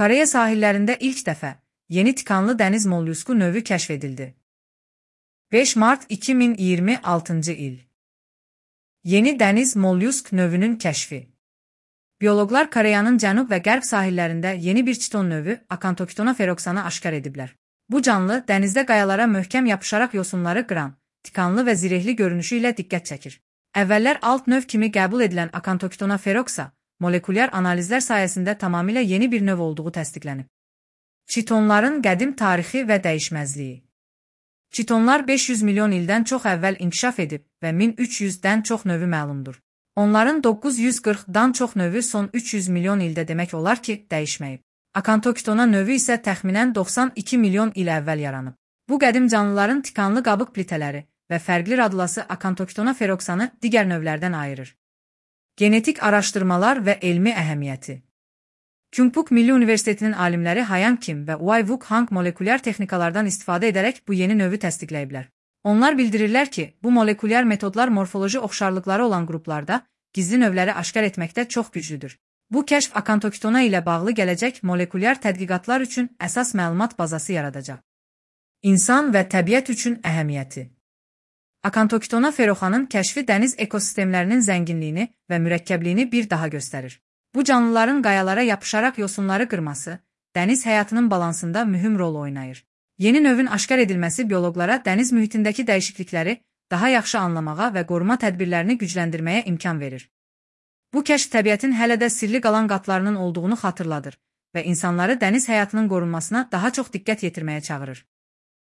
Koreya sahillərində ilk dəfə yeni tikanlı dəniz mollyusku növü kəşf edildi. 5 Mart 2026 il. Yeni dəniz mollyusk növünün kəşfi. Bioloqlar Koreyanın cənub və qərb sahillərində yeni bir çiton növü Acanthoctona feroxanı aşkar ediblər. Bu canlı dənizdə qayalara möhkəm yapışaraq yosunları qıran, tikanlı və zirehli görünüşü ilə diqqət çəkir. Əvvəllər alt növ kimi qəbul edilən Acanthoctona feroxa molekulyar analizlər sayəsində tamamilə yeni bir növ olduğu təsdiqlənib. Çitonların qədim tarixi və dəyişməzliyi. Çitonlar 500 milyon ildən çox əvvəl inkişaf edib və 1300-dən çox növü məlumdur. Onların 940-dan çox növü son 300 milyon ildə demək olar ki, dəyişməyib. Acanthoctona növü isə təxminən 92 milyon il əvvəl yaranıb. Bu qədim canlıların tikanlı qabıq plitələri və fərqli radulası Acanthoctona feroxanı digər növlərdən ayırır. Genetik araşdırmalar və elmi əhəmiyyəti. Kyungpook Milli Universitetinin alimləri Hayang Kim və Wai-Wook Hang molekulyar texnikalardan istifadə edərək bu yeni növü təsdiqləyiblər. Onlar bildirirlər ki, bu molekulyar metodlar morfoloji oxşarlıqları olan qruplarda gizli növləri aşkar etməkdə çox güclüdür. Bu kəşf Acanthoctona ilə bağlı gələcək molekulyar tədqiqatlar üçün əsas məlumat bazası yaradacaq. İnsan və təbiət üçün əhəmiyyəti. Acanthoctona feroxanın kəşfi dəniz ekosistemlərinin zənginliyini və mürəkkəbliyini bir daha göstərir. Bu canlıların qayalara yapışaraq yosunları qırması, dəniz həyatının balansında mühüm rol oynayır. Yeni növün aşkar edilməsi bioloqlara dəniz mühitindəki dəyişiklikləri daha yaxşı anlamağa və qoruma tədbirlərini gücləndirməyə imkan verir. Bu kəşf təbiətin hələ də sirli qalan qatlarının olduğunu xatırladır və insanları dəniz həyatının qorunmasına daha çox diqqət yetirməyə çağırır.